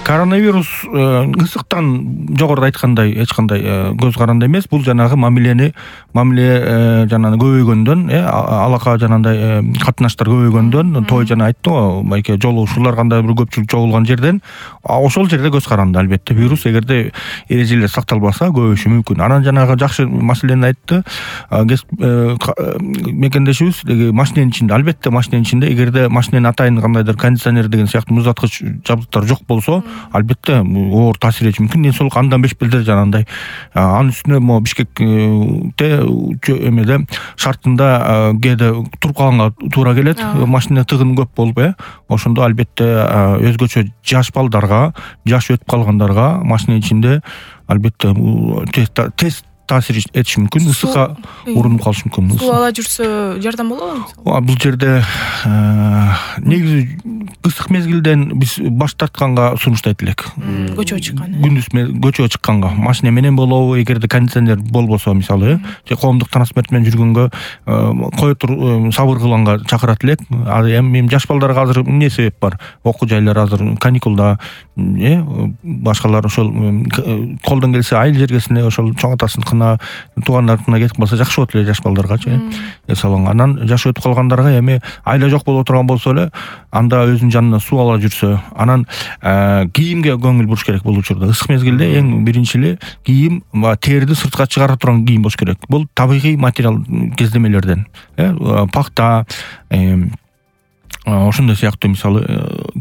Коронавирус ысыктан жогоруда айткандай эч кандай көз каранды эмес. Бул жанагы мамиле жанагы көбөйгөндөн, алака жанагындай катнаштар көбөйгөндөн, той жана айтты го, байке жолугушуулар кандай бир көпчүлүк чогулган жерден ошол жерде көз каранды. Албетте вирус эгерде эрежелер сакталбаса көбөйүшү мүмкүн. Анан жанагы жакшы маселени айтты. Мекендешибиз машиненин ичинде, албетте машиненин ичинде эгерде машиненин атайын кандайдыр кондиционер деген сыяктуу муздаткыч жабдыктар жок болсо, албетте оор таасир этиши мүмкүн. Ден соолук андан бешпелдер жанагындай. Анын үстүнө могу Бишкекте эмеде шартында кээде туруп калганга туура келет. Машина тыгын көп болуп, ошондо албетте өзгөчө жаш балдарга, жаш өтүп калгандарга машиненин ичинде албетте тез таасир этиши мүмкүн, ысыкка урунуп калышы мүмкүн. Суу ала жүрсө жардам болобу? Бул жерде негизи ысык мезгилден биз баш тартканга сунуштайт элек. Көчөгө чыккан. Күндүз көчөгө чыкканга, машина менен болобу, эгерде кондиционер болбосо, мисалы, же коомдук транспорт менен жүргөнгө кое тур, сабыр кылганга чакырат элек. Эми жаш балдарга азыр эмне себеп бар? Окуу жайлар азыр каникулда, башкалар ошол колдон келсе айыл жергесине ошол чоң атасын туугандарына кетип калса жакшы болот эле жаш балдаргачы. Анан жаш өтүп калгандарга эми айла жок боло турган болсо эле, анда өзүнүн жанына суу ала жүрсө, анан кийимге көңүл буруш керек бул учурда. Ысык мезгилде эң биринчи эле кийим, терди сыртка чыгара турган кийим болуш керек. Бул табигый материал кездемелерден, пахта, ошондой сыяктуу мисалы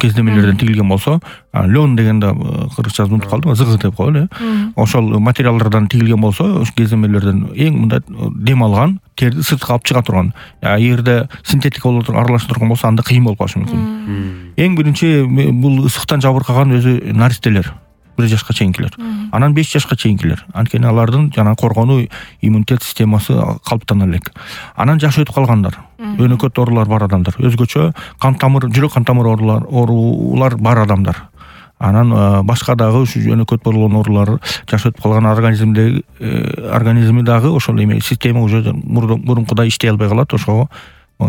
кездемелерден тигилген болсо, лен дегенде кыргызчасы унутуп калдым, зыгы деп коелу. Ошол материалдардан тигилген болсо, ошол кездемелерден эң мындай дем алган, терди сыртка алып чыга турган. Эгерде синтетика боло туруп аралаша турган болсо, анда кыйын болуп калышы мүмкүн. Эң биринчи бул ысыктан жабыркаган өзү наристелер, 1 жашка чейинкилер. Анан 5 жашка чейинкилер. Анткени алардын жана коргонуу иммунитет системасы калыптана элек. Анан жаш өтүп калгандар, өнөкөт оорулар бар адамдар, өзгөчө кан тамыр, жүрөк кан тамыр оорулар бар адамдар. Анан башка дагы ушу өнөкөт болгон оорулар, жаш өтүп калган организми дагы ошол эме система уже мурункудай иштей албай калат. Ошого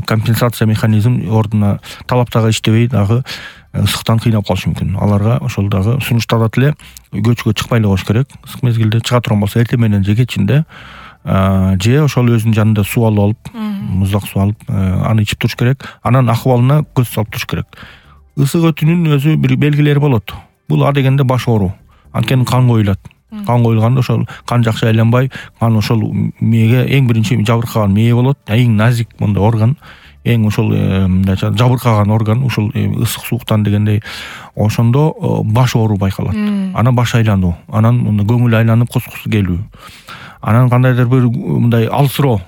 компенсация механизм ордуна талап дагы иштебей дагы ысыктан кыйнап калышы мүмкүн. Аларга ошол дагы сунушталат эле, көчкөгө чыкпай эле коюш керек. Ысык мезгилде чыга турган болсо эртең менен же кечинде, же ошол өзүнүн жанында суу алып, муздак суу алып, аны ичип туруш керек. Анан акыбалына көз салып туруш керек. Ысык өтүүнүн өзү бир белгилери болот. Бул дегенде баш оору. Анткени кан коюлат. Кан коюлганда ошол кан жакшы айланбай, кан ошол мээге эң биринчи жабыркаган мээ болот. Эң назик мындай орган, эң ошол жабыркаган орган ушул ысык сууктан дегендей. Ошондо баш оору байкалат. Анан баш айлануу, анан көңүл айланып кускусу келүү. Анан кандайдыр бир мындай алсыроо,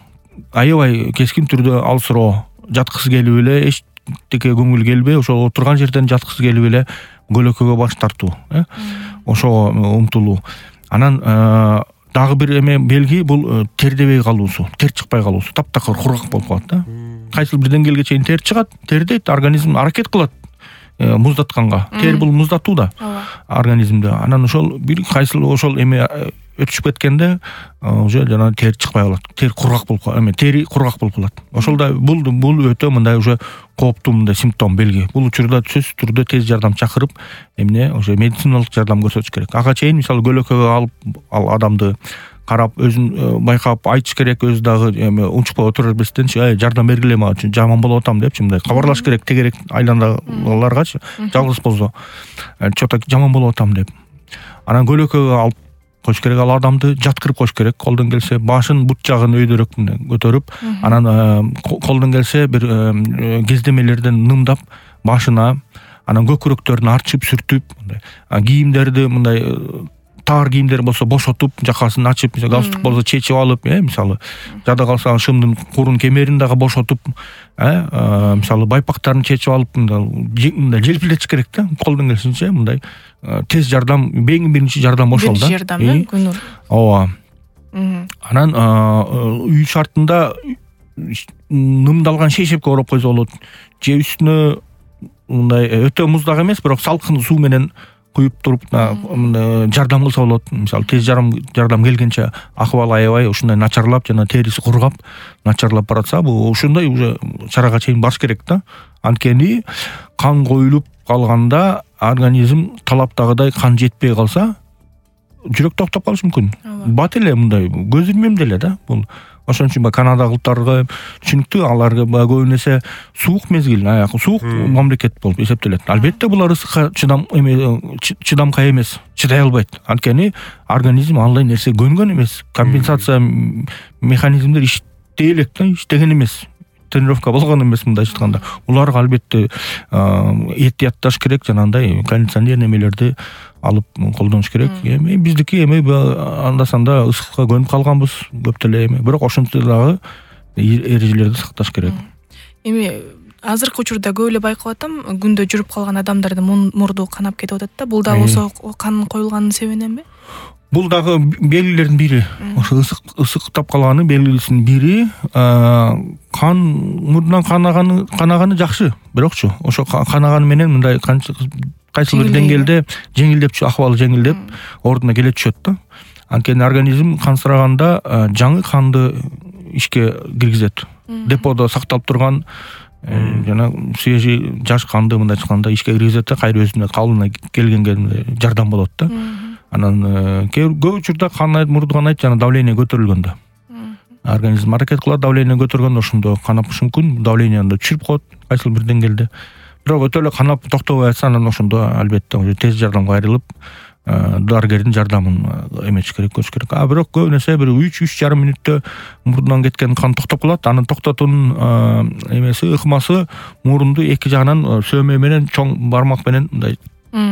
аябай кескин түрдө алсыроо, жаткысы келип эле, эчтеке көңүл келбей, ошол отурган жерден жаткысы келип эле көлөкөгө баш тартуу, ошого умтулуу. Анан дагы бир эме белги бул тердебей калуусу, тер чыкпай калуусу, таптакыр кургак болуп калат да. Кайсыл бир деңгээлге чейин тер чыгат, тердейт, организм аракет кылат муздатканга. Тер бул муздатуу да организмде. Анан ошол бир кайсыл ошол эме өтүшүп кеткенде уже жана тер чыкпай калат. Тер кургак болуп калат, тери кургак болуп калат. Ошолда бул өтө мындай уже кооптуу мындай симптом, белги. Бул учурда сөзсүз түрдө тез жардам чакырып, эмне уже медициналык жардам көрсөтүш керек. Ага чейин мисалы көлөкөгө алып ал адамды карап, өзүн байкап айтыш керек, өзү дагы эме унчукпай отура бербестен, жардам бергиле мага, жаман болуп атам депчи, мындай кабарлаш керек тегерек айландагыларгачы, жалгыз болсо, чо-то жаман болуп атам деп. Анан көлөкөгө алып коюш керек, ал адамды жаткырып коюш керек. Колдон келсе башын бут жагын өйдөрөк көтөрүп, анан колдон келсе бир кездемелерден нымдап башына, анан көкүрөктөрүн арчып, сүртүп, кийимдерди мындай таар кийимдер болсо бошотуп, жакасын ачып, галстук болсо чечип алып, мисалы, жада калса шымдын курун кемерин дагы бошотуп, мисалы байпактарын чечип алып, мындай желпилетиш керек да, колдон келишинче мындай тез жардам, эң биринчи жардам ошол да. Жардам, көңүл. Ооба. Анан үй шартында нымдалган шейшепке ороп койсо болот. Же үстүнө мындай өтө муздак эмес, бирок салкын суу менен куюп туруп жардам кылса болот. Мисалы тез жардам келгенче акыбалы аябай ушундай начарлап жана териси кургап, начарлап баратса, бул ушундай уже чарага чейин баш керек да. Анткени кан коюлуп калганда организм талаптагыдай кан жетпей калса жүрөк токтоп калышы мүмкүн. Бат эле мындай көз ирмем деле да бул. Ошон үчүн канадалыктарга түшүнүктүү, аларга көбүн эсе суук мезгил, суук мамлекет болуп эсептелет. Албетте булар ысыкка чыдамкай эмес, чыдай албайт. Анткени организм андай нерсе көнгөн эмес. Компенсация механизмдер иштей элек да, иштеген эмес. Тренировка болгон эмес мындай айтканда. Уларга албетте эhtiyатташ керек, жанагындай кондиционер немелерди алып колдонуш керек. Эми биздики анда-санда ысыкка көнүп калганбыз көп деле бирок ошентсе дагы эрежелерди сакташ керек. Эми азыркы учурда көп эле байкап атам, күндө жүрүп калган адамдардын мурду канап кетип атат да. Бул дагы ошо кан коюлганын себебиненби? Бул дагы белгилердин бири. Ошо ысыктап калганын белгисинин бири. Кан мурдунан канаганы жакшы, бирокчу ошо канаганы менен мындай кайсы бир деңгээлде жеңилдеп, акыбалы жеңилдеп, ордуна келе түшөт да. Анткени организм кансыраганда жаңы канды ишке киргизет. Деподо сакталып турган жана свежий жаш канды мындай айтканда ишке киргизет да, кайра өзүнө калыбына келгенге жардам болот да. Анан көп учурда мурду канайт жана давление көтөрүлгөндө. Организм аракет кылат, давление көтөргөндө ошондо канапышы мүмкүн, давлениену түшүрүп коет кайсы бир деңгээлде. Бирок өтө эле канап токтобой атса, анан ошондо албетте тез жардамга кайрылып, дарыгердин жардамын эметиш керек, көтүш керек. Бирок көп нерсе бир 3-3,5 мүнөттө мурдунан кеткен кан токтоп калат. Анын токтотуунун ыкмасы мурунду эки жагынан сөөмө менен чоң бармак менен мындай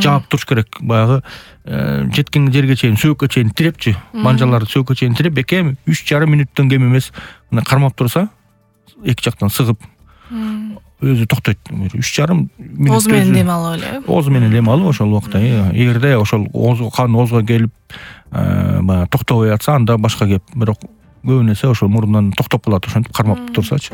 жаап туруш керек. Баягы жеткен жерге чейин, сөөккө чейин тирепчи, манжаларды сөөккө чейин тирип, бекем 3,5 мүнөттөн кем эмес мына кармап турса, эки жактан сыгып өзү токтойт. 3,5 мүнөт. Оз менен дем алып эле. Оз менен дем алып ошол убакта, эгерде ошол кан озго келип, баягы токтобой атса, анда башка кеп. Бирок көбүнесе ошол мурундан токтоп калат, ошентип кармап турсачы.